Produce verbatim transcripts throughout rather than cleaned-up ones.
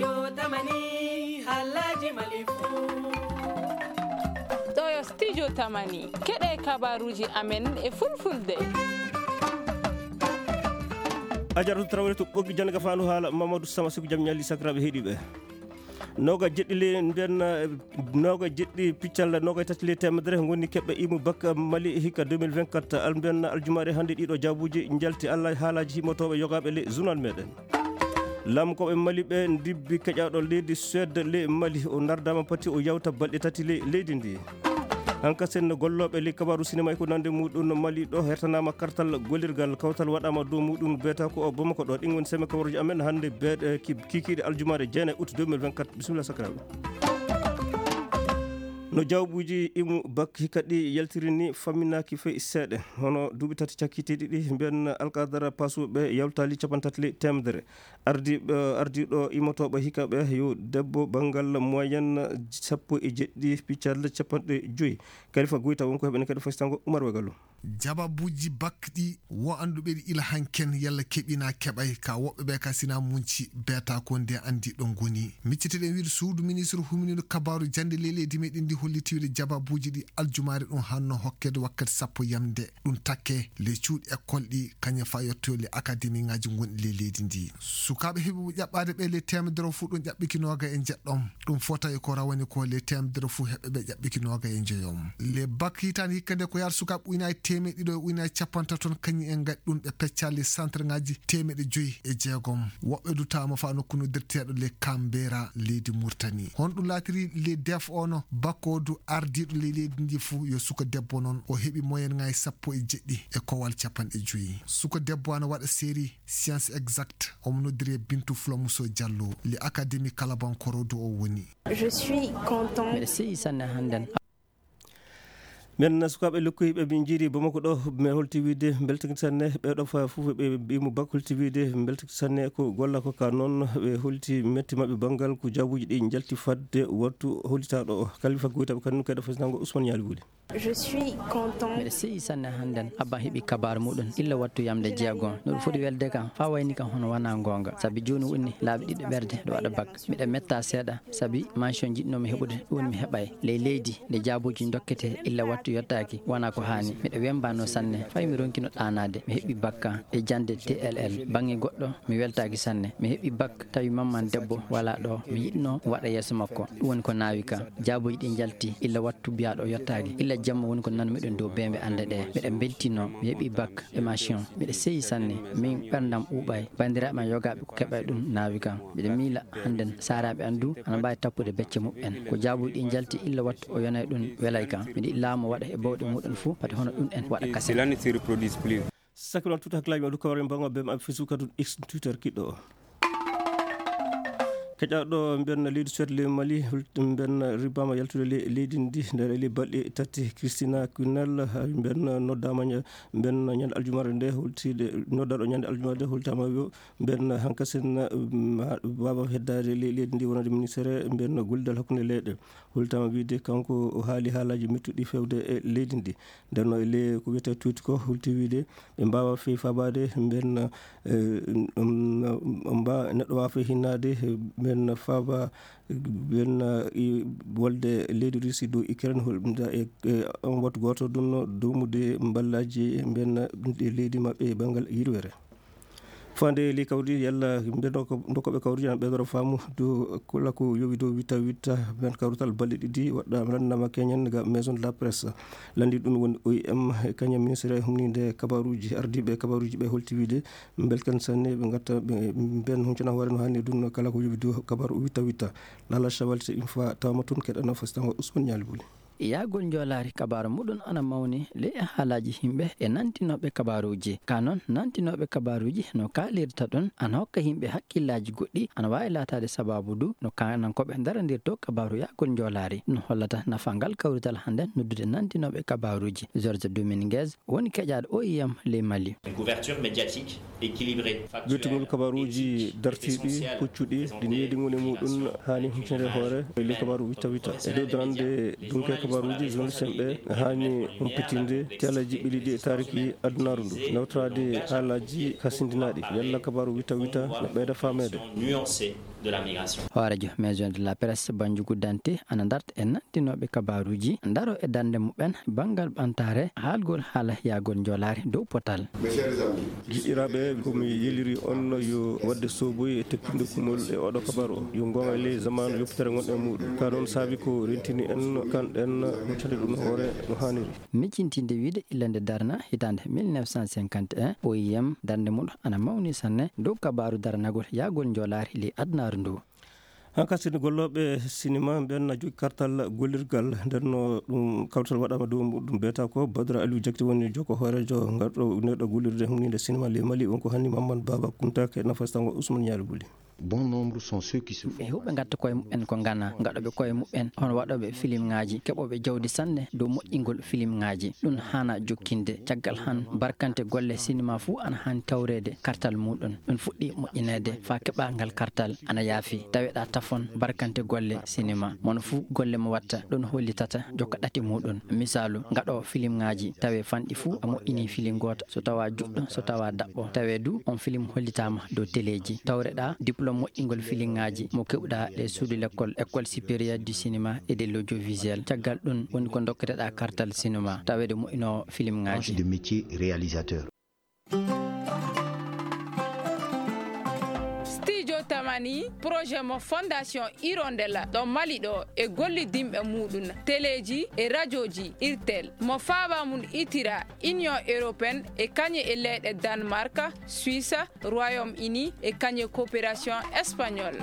Yo tamani halaji malifu. Ɗo yo studio tamani. Keɗe kabaruji amen e fulfulde. Ajaratu Traoré to ɓoggi jannga fandu haala Mamadou Sama Siku jam ñalli sakiraaɓe heɗiɓe. Noga jeɗɗi le mbiyan, eh, noga jeɗɗi piccal noga tati le temedere ngoni keɓɓe imu bakka Mali hikka deux mille vingt-quatre. Al mbiyan aljumaare hannde ɗiɗo jaabuji njalti Allah haalaji himotoɓe yogaɓe le journal meɗen. Lamkoɓe Mali ɓe ndibbi keƴaɗo leydi Suède le Mali o nardama pati o yawta balɗe tati le leydi ndi. Hankasen gollooɓe ley kabaaru sinema e ko nande muɗum Mali ɗo hertanaama kartal gollirgal kawtal waɗaama dow muɗum beeta ko o Bamako ɗo. Ɗin woni seme kabaruuji amen hannde beeɗe ki-, kiikiiɗe aljumaare jeenayi août deux mille vingt-quatre. Bisimilla sakiraaɓe. No jawbuuji imu bak hikka ɗi yaltiri ni famminaaki fey seeɗa. Hono duuɓi tati cakkitiiɗi ɗi mbiyan alkadara pasuɓe yawtaali capanɗe tati ley teemedere. Ardi, eh, ardiiɗo imotooɓe hikka ɓe yo debbo banngal moyen sappo e jeɗɗi piccal capanɗe joyi. Kalifa Goyta wonko heɓene kadi fasitango Umar Wagalo. Jababuuji bakɗi wo annduɓe ɗi ila hanken yalla keɓina keɓay ka woɓɓe ɓe ka sina munci beeta ko nde anndi ɗo ngoni. Micciteɗen wiide suudu ministre huminino kabaaru jannde ley leydi meɗen ndi holliti wiide jababuuji ɗi aljumaare ɗum hanno hokkede wakkati sappo yamde. Ɗum takke le cuuɗi école ɗi kañum fa yettoyo le académie ŋaaji gonɗi ley leydi ndi. Sukaaɓe heɓuɓe ƴaɓɓaade ɓe le temedere fof ɗum ƴaɓɓiki nooga e jeɗɗom. Ɗum fota e ko rawani ko le temedere fof heɓɓe ɓe ƴaɓɓiki nooga e njoyom. Le bak hitaande hikka nde ko yaata sukaaɓe ujunaaji teemeɗɗe ɗiɗo e ujunaaji capanɗe tati toon kañum en ngaɗi ɗum ɓe pecca le centre ŋaaji teemeɗɗe joyi e jeegom. Woɓɓe du taama fa nokku noddirteeɗo le Kambera leydi Murtani. Honɗum laatiri le def ono bakkodu ardiiɗo le leydi ndi fof yo suka debbo noon o heɓi moyen ŋaaji sappo e jeɗɗi e kowal capanɗe joyi. Suka debbo ana waɗa série Science Exacte, omo noddiri e Bintu Fulamuso Diallo, le académie kalabankoro do o woni. Je suis content. Mbiɗa seyi sanne hannden. Men sukaaɓe lokkoyiɓe min jiiri Bamako ɗo, mi holti wiide mbeltaki sanne ɓe ɗo fa fof ɓe mbimu bak holti wiide mbeltaki sanne ko golla ko ka noon ɓe holti metti maɓɓe banngal ko jaabuji ɗi njalti fadde wattu hollitaɗo o. Kalifa Goytaɓe kanum kadi fasitango Ousmane Ñaali Wuli. Je suis content. Mbiɗa seyi sanne hannden. Abba heɓi kabaar muɗum illa wattu yamde jeego. No ɗum foti welde kam, faa wayni kam hono wanaa goonga. Sabi jooni woni laabi ɗiɗi ɓerde ɗo waɗa bak. Miɗa metta seeɗa, sabi mention jiɗnoomi heɓude, ɗum mi heɓay. Ley leydi, nde jaabuuji ndokkete illa wattu yottaaki, wanaa ko haani. Miɗa wembaano sanne, fay mi ronkino ɗaanaade. Mi heɓi bakka e jannde T L L. Baŋŋe goɗɗo, mi weltaaki sanne. Mi heɓi bak, tawi mamman debbo walaa ɗo. Mi yiɗno waɗa yeeso makko. Ɗum woni ko naawi ka. Jaabuuji ɗi njalti, illa wattu biyaaɗo yottaaki. Illa jamma woni ko nanmiɗen dow beembe annde ɗe. Miɗa mbeltino, mi heɓi bak, émission. Miɗa seyi sanne, min ɓerndam ɓuuɓay. Banndiraaɓe am yogaaɓe ko keɓay ɗum naawi kam. Miɗa miila hannden saaraaɓe am du ana mbaawi tappude becce muɓɓen. Ko jaabuuji ɗi njalti illa wattu o yonay ɗum welay kam. Miɗa yiɗi laamu waɗa e bawɗe muɗum fof, pati hono ɗum en waɗa kasen. Sakkiral tuta hakkilaaji maɗum kawren bango bem am Facebook kadi X Twitter kiɗɗo o. Keƴaɗo mbiyan leydi Suède le Mali, mbiyan ribama yaltude le-, leydi ndi nder le balɗe tati. Christina Quinnel, mbiyan noddama ña-, mbiyan ñande aljumare nde holtide, noddaɗo ñande aljumare nde holtama yo mbiyan hankasen, mm, ha-, baba heddade le-, leydi ndi wonande ministére mbiyan gollidal hakkunde leyɗe. Holtama wiide kanko o haali haalaji mettuɗi fewde e leydi ndi. Nden no e le ko wiyete tuuti ko holti wiide ɓe mbawa fey fabaade mbiyan, eh, um, um, mba-, neɗɗo wawa fey hinnaade mbiyan faba mbiyan, eh, i wolde leydi Russie dow Ukraine hol-, nda e, e on wattu goto ɗum no dowmude mballaji mbiyan ɗi leydi maɓɓe e banngal yirwere. Fande li kawri yalla ɓe ndoko-, ndokoɓe kawri ana ɓeydoro faamu dow kala ko yowi dow witta witta men kawrital balɗe ɗiɗi waɗɗa landama keñen ga maison de la presse. Landi ɗum woni O I M, kañum ministre humninde kabaruji, ardiɓe kabaruji ɓe holti wiide belkan sanne ɓe gatta ɓe ben huncana hoore no hanni ɗum kala ko yowi dow kabaru witta witta. Lala Chawal se une fois tawama toon keɗana fasitango Ousmane Ñaali Buli. Yaagol njoolaari kabaaru muɗum ana mawni ley e haalaaji yimɓe e nantinooɓe kabaaruuji. Ka noon, nantinooɓe kabaaruuji no kaalirta ɗum ana hokka yimɓe hakkillaaji goɗɗi, ana waawi laataade sabaabu du no kaanankooɓe ndarandirtoo kabaaru yaagol njoolaari. Ɗum hollata nafa ngal kawrital hannden noddude nantinooɓe kabaaruuji. George Dominguez woni keƴaaɗo O I M ley Mali. Une couverture médiatique équilibrée, factuelle, éthique, dartiiɗi, huccuɗi, ɗi needi ngoni muɗum haani huccunde hoore e ley kabaaru witta witta. E dow darande dunke kabaaruuji journaliste en ɓe haani humpitinde telaji ɓeliɗi e taariki adunaaru ndu, nawtoraade haalaaji kasindinaaɗi, yalla kabaaru witta witta no ɓeyda faameede. Nuancée. de la migration. Hooreejo Maison de la Presse, Banjugu Dante, ana darta e nanndinooɓe kabaaruuji, ndaro e darnde muɓɓen banngal ɓamtaare haalgol haala yahgol njoolaari dow potal. Mes chers amis, giɗiraaɓe, ko mi yeliri on yo waɗde sooboyi e tekkinde kumol e oɗo kabaru o. Yo ngoonga e ley zamaanu yoppitere ngonɗen e muuɗum. Ka noon saabi ko rentini en, kanɗen huccande ɗum hoore no haaniri. Miijintinde wiyde illa nde darna hitaande mille neuf cent cinquante et un, O I M darnde mum ana mawni sanne dow kabaaru darnagol yahgol njoolaari ley adunaaru ndu. Hanka sini gollooɓe sinima ɓen na jogi kartal gollirgal, nden no ɗum kawtal waɗama dow muɗum. Beeta ko Badara Aliou Jakti woni jokko hooreejo ngarɗo neɗɗo gollirde huninde sinima ley Mali, wonko hanni Mamadou Baba Kunta ke nafastango Ousmane Nialy Buli. Bon nombre sont ceux qui se font. Ɓe heewɓe ngatta koye muɓɓen ko ngana, ngaɗooɓe koye muɓɓen, hono waɗooɓe filimŋaaji, keɓooɓe jawdi sanne dow moƴƴingol filimŋaaji. Ɗum haana jokkinde. Caggal han, barkante golle sinima fuu ana haani tawreede kartal muɗum. Ɗum fuɗɗi moƴƴineede faa keɓa ngal kartal ana yaafi. Taweɗaa tafon barkante golle sinima. Mono fuu golle mo watta, ɗum hollitata jokka ɗate muɗum. Misaalu, ngaɗoowo filimŋaaji, tawe fanɗi fuu a moƴƴini filim gooto. So tawa juɗɗo, so tawa daɓɓo, tawe du on filim hollitaama dow teleeji. Tawreɗaa diplôme moƴƴingol filimŋaaji mo keɓuɗaa ɗe suudu lekkol, École supérieure du cinéma et de l'audiovisuel. Caggal ɗum woni ko dokketeɗaa kartal sinema, taweede moƴƴinoowo filimŋaaji. Branche de métier réalisateur. Studio Tamani, projet mo Fondation Hirondella ɗo Mali ɗo e gollidinɓe muɗum, teleeji e rajooji Irtel, mo faaba mum itira Union Européenne e kañe e leyɗe Danemark, Suisse, Royaume-Uni e kañe coopération espagnole.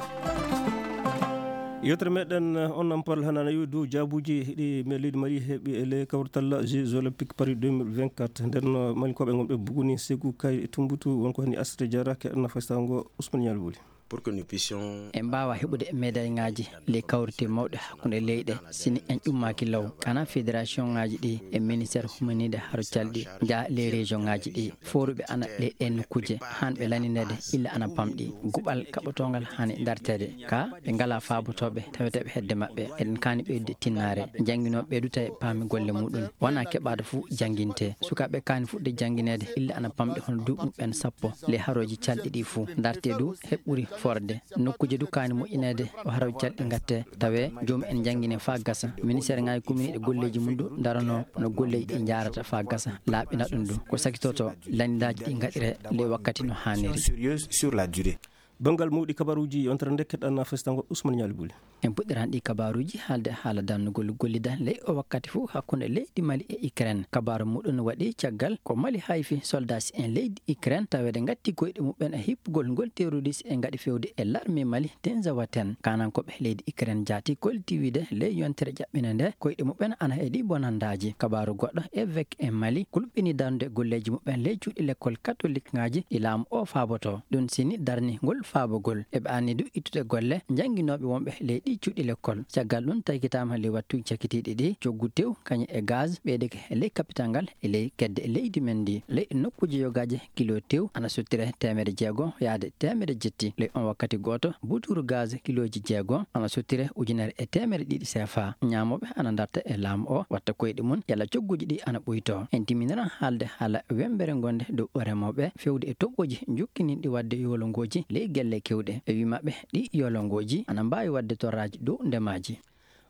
Yewtere meɗen, on nan parle hannde ana yowi dow jaabuuji ɗi me leydi Mali heɓi e ley kawrital Jeux Olympiques Paris deux mille vingt-quatre. Nden, uh, Malinkooɓe ngonɓe Buguni, Ségou, Kayes e Tumboutu, wonko hani Astré Diarra, keɗen nafa sago Ousmane Nialy Bouly. Pour que nous puissions. En mbaawa heɓude médaille ŋaaji ley kawrite mawɗe hakkunde leyɗe, si ni en ƴummaaki law. Kana fédération ŋaaji ɗi e ministère humaniiɗe haro calɗi, njaha ley région ŋaaji ɗi. Fooruɓe ana ley ɗee nokkuuje, haan ɓe lanineede illa ana pamɗi. Guɓal kaɓotoongal haani darteede. Ka ɓe ngalaa faabotooɓe taweteeɓe hedde maɓɓe. Eɗen kaani ɓeydude tinnaare. Jannginooɓe ɓe du tawi paami golle muɗum. Wonaa keɓaade fuu jannginte. Sukaaɓe kaani fuɗde janngineede illa ana pamɗi hono duuɓi muɓɓen sappo. Ley harooji calɗi ɗi fuu. Dartee du heɓɓuri forde. Nokkuuje du kaani moƴƴineede o harooji calɗi ngatte. Tawe joomum en njanngine faa gasa. Ministère ŋaaji kuminiiɗe golleeji mum du ndaranoo no golleeji ɗi njaarata faa gasa. Laaɓina ɗum du. Ko sakitoto lannidaaji ɗi ngaɗire ley wakkati no haaniri. Sérieuse sur la durée. Banngal mawɗi kabaruuji yontere nde keɗɗan festango Ousmane Nialy Bouly. En puɗɗiran ɗi kabaruuji haalde haala dannugol gollida ley o wakkati fof hakkunde leydi Mali e Ukraine. Kabaaru muɗum waɗi caggal ko Mali hayfi soldaaji en leydi Ukraine taweede ngatti koyɗe muɓɓen e hippugol ngol terroriste e ngaɗi fewde e l'armée Mali Tenzawaten. Kanankooɓe leydi Ukraine jaati kolliti wiide ley yontere ƴaɓɓinde nde koyɗe muɓɓen ana heɗi bonandaaji. Kabaaru goɗɗo, évêque en Mali kulɓini darnde golleeji muɓɓen ley cuuɗi lekkol katolik ŋaaji ɗi laamu o faaboto. Ɗum sini darni ngol faabogol. Eɓe anni du ittude golle jannginooɓe wonɓe ley ɗi cuuɗi lekkol. Caggal ɗum taykitaama ley wattuuji cakitiiɗi ɗi coggu tew kañum e gaz ɓeydeke ley kapital ngal e ley kedde leydi men ndi. Ley nokkuuji yogaaji kilo tew ana sottire teemedde jeego yaade teemedde jetti. Ley on wakkati gooto, butuuru gaz kilooji jeego ana sottire ujunere e teemedde ɗiɗi seefa. Ñaamooɓe ana darta e laamu o, watta koyɗe mum, yalla cogguuji ɗi ana ɓuyto. En timminiran haalde haala wemmbere ngonde dow remooɓe, fewde e toɓɓooji jokkininɗi waɗde yoolongooji ley gelle kewɗe. E wii maɓɓe, ɗi yoolongooji ana mbaawi waɗde torraaji dow ndemaaji.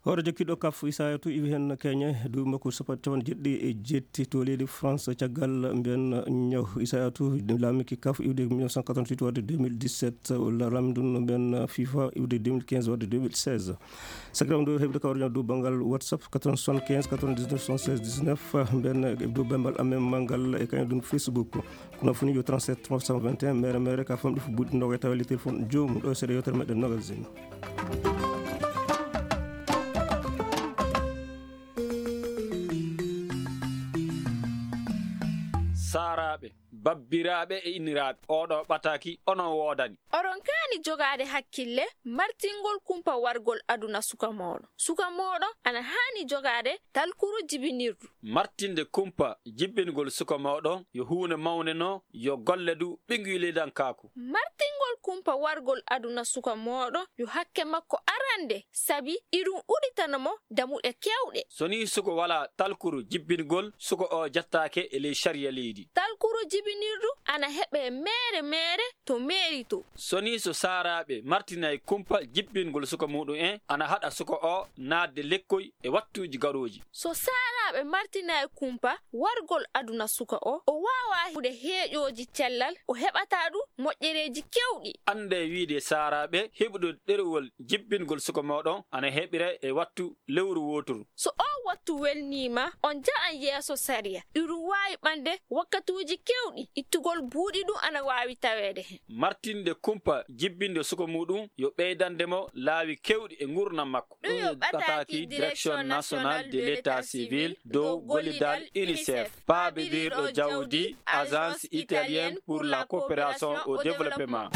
Hoore jokkiiɗo kaf Isayatu iwi heen keñe duuɓi makko sappo capanɗe jeeɗiɗi e jeetti to leydi France caggal mbiyen ñaw. Isayatu laamiki kaf iwde mille neuf cent quatre-vingt-huit wadde deux mille dix-sept, walla laamdun mbiyen FIFA iwde deux mille quinze wadde deux mille seize. Sakiraam ɗo heɓde kawriñal dow banngal WhatsApp quatre-vingt-soixante-quinze quatre-vingt-dix-neuf soixante-seize dix-neuf, mbiyen dow bemmbal amen manngal e kañum ɗum Facebook. Kono foni yo trente-sept trois cent vingt et un mere mere ka famɗi fof buɗɗi noga e tawa le téléphone joomum ɗo seeɗa yewtere meɗen nogas zeno. Saaraaɓe, babbiraaɓe e inniraaɓe, oɗo ɓataaki onon woodani. Oɗon kaani jogaade hakkille martingol kumpa wargol aduna suka mooɗon. Suka mooɗon ana haani jogaade talkuru jibinirdu. Martinde kumpa jibbingol suka mooɗon yo huunde mawnde no yo golle du ɓiŋnguylidankaaku. Martingol kumpa wargol aduna suka mooɗon yo hakke makko arande, sabi iɗum udditana mo damuɗe keewɗe. So nii suko walaa talkuru jibbingol, suko o jattaake e ley sariya leydi. Talkuru Jibinirdu ana heɓee meere meere to meeri to. So nii so saaraaɓe martinay kumpa jibbingol suka muɗum en ana haɗa suka o naatde lekkoy e wattuuji garooji. So saaraaɓe martinay kumpa wargol aduna suka o, o waawaa hude heeƴooji cellal, o heɓataa ɗum moƴƴereeji keewɗi. Anndee wiide saaraaɓe heɓude ɗerewol jibbingol suka mooɗon ana heɓire e wattu lewru wooturu. So oo wattu welniima, on nja'an yeeso sariya. Iɗum waawi ɓande wakkatuuji keewɗi, ittugol buuɗi ɗum ana waawi taweede heen. Martinde kumpa jibbinde suka muɗum yo ɓeydande mo laawi keewɗi e nguurndam makko. Ɗum yo ɓataaki Direction Nationale de l'État Civil dow gollidal UNICEF, paabirirɗo jawdi Agence Italienne pour la Coopération au Développement.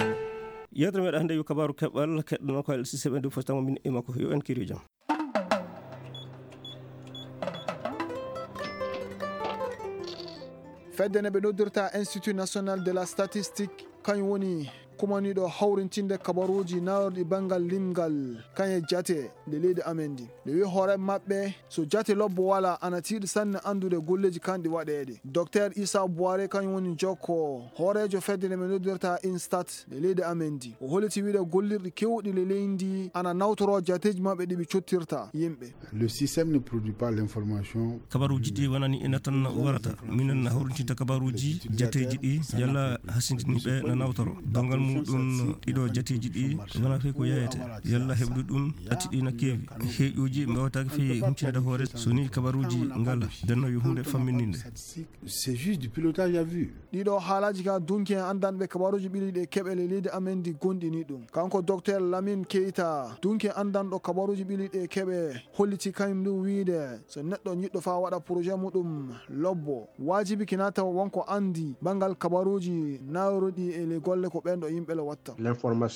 Yewtere meɗen hannde yo kabaaru keɓal keɗɗono ko L C C ɓe ndu fotamo min e makko yo en kiri jam. Fedde nde ɓe noddirta Institut National de la Statistique, kañum woni kumaniiɗo hawrintinde kabaruuji nayorɗi banngal limgal kañe jate nde leydi amen ndi. Nde wi hoore maɓɓe, so jate lobbo wala, ana tiiɗi sanne anndude golleeji kanɗi waɗeede. Docteur Issa Boiré kañum woni jokko hooreejo fedde nde ɓe noddirta INSTAT nde leydi amen ndi. O holliti wiide gollirɗi keewɗi le leydi ndi ana nawtoro jateeji maɓɓe ɗi ɓe cottirta yimɓe. Le système ne produit pas l'information. Kabaruuji ɗi wonani ina tan warata. Minen na hawrintinta kabaruuji jateeji ɗi, yalla hasindini ɓe na nawtoro. Dongal muɗum ɗiɗo jateeji ɗi wona fey ko yayete. Yalla heɓude ɗum atti ɗi na keewi. Heeƴuuji mbawataake fey humpitinde hoore so ni kabaruuji ngala. Denno yo huunde fammininde. C'est juste du pilotage à vue. Ɗiɗo haalaaji ka dunki en anndanɓe kabaruuji ɓileeɗi e keɓe le leydi amen ndi gonɗini ɗum. Kanko Docteur Lamine Keita, dunki en anndanɗo kabaruuji ɓileeɗi e keɓe, holliti kañum ndu wiide so neɗɗo ñiɗɗo faa waɗa projet muɗum lobbo, waajibi kina tawa wonko anndi banngal kabaruuji nayoruɗi e le golle ko ɓen ɗo yimɓe le watta.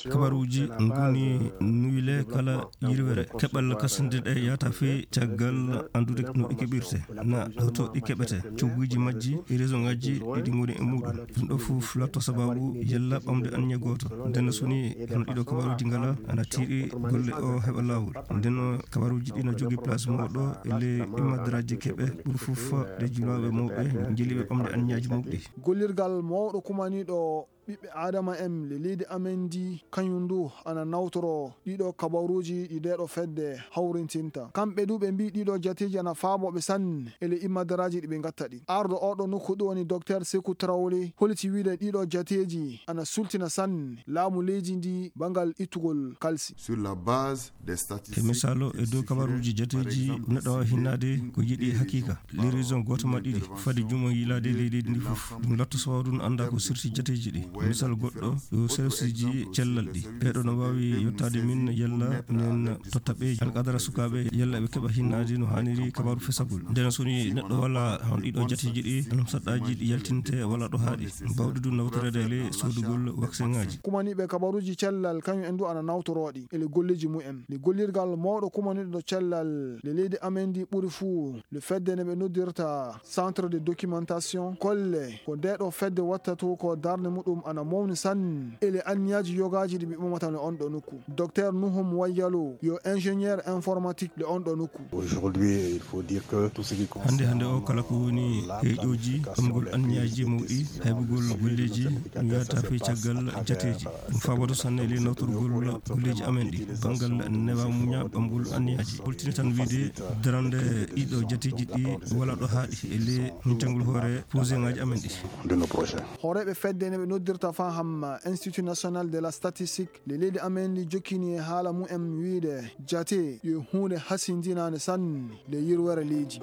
Kabaruuji ngoni nuyle kala yirwere. Keɓal kasinde ɗe yahata fey caggal anndude no ɗi keɓirte, na hoto ɗi keɓete, cogguuji majji e réseau ngaji ɗi ɗi ngoni e muɗum. Ɗum ɗo fof latto sababu yalla ɓamde anniya gooto. Nden so ni hono ɗiɗo kabaruuji ngala, ana tiiɗi golle o heɓa laawol. Nden kabaruuji ɗi na jogii place mawɗo e le immadraji keɓe ɓuri fof ɗe julaaɓe mawɓe jeliiɓe ɓamde anniyaaji mawɗi. Gollirgal mawɗo kumaniiɗo ɓiɓɓe Aadama en le leydi amen ndi, kañum ndu ana nawtoro ɗiɗo kabaruuji ɗi ndeeɗo fedde hawrintinta. Kamɓe du ɓe mbii ɗiɗo jateeji ana faaboo ɓe sanne e le immadraji ɗi ɓe ngatta ɗi. Arɗo oɗo nokku ɗum woni Docteur Sekou Traoré holliti wiide ɗiɗo jateeji ana sultina sanne laamu leydi ndi banngal ittugol kalsi. Sur la base des statistiques. E misaalu, e dow kabaruuji jateeji, neɗɗo waawi hinnaade ko yiɗi hakiika. Les raisons gooto ma ɗiɗi, fadi jumo yiilaade e leydi ndi fof. Ɗum latto sababu ɗum annda ko sirti jateeji ɗi. Misal goɗɗo, yo serviceji cellal ɗi. Ɓeeɗo no waawi yottaade min yalla min totta ɓe alqadara sukaaɓe yalla ɓe keɓa hinnaade no haaniri kabaru fesagol. Nden so ni neɗɗo wala hon ɗiɗo jateeji ɗi, ɗum saɗɗaaji ɗi yaltinte wala ɗo haaɗi. Bawɗi ɗum nawtoreede le soodugol vaccin ngaji. Kumaniiɓe kabaruuji cellal, kañum en du ana nawtorooɗi e le golleeji mumen. Le gollirgal mawɗo kumaniiɗo cellal le leydi amen ndi ɓuri fuu le fedde nde ɓe noddirta Centre de documentation, kolle ko ndeeɗo fedde watta to ko darnde muɗum ana mawni sanne e le anniyaaji yogaaji ɗi ɓe ɓamata le on ɗo nokku. Docteur Nuhum Wayyalo yo ingénieur informatique le on ɗo nokku. Aujourd'hui, il faut dire que tout ce qui concerne Hannde, hannde o kala ko woni heeƴooji, ɓamgol anniyaaji mawɗi, haybugol golleeji, ɗum yahata fey caggal jateeji. Ɗum faaboto sanne e le nawtorgol golleeji amen ɗi, banngal newa muña ɓamgol anniyaaji. Holtini tan wiide darande ɗiɗo jateeji ɗi wala ɗo haaɗi e le huncangol hoore projet ngaji amen ɗi. De nos projets. Hooreeɓe fedde ne ɓe noddirta faham Institut National de la Statistique, le leydi amen ndi jokkini e haala mumen wiide jate yo huunde hasindinaande sanne le yirwere leydi.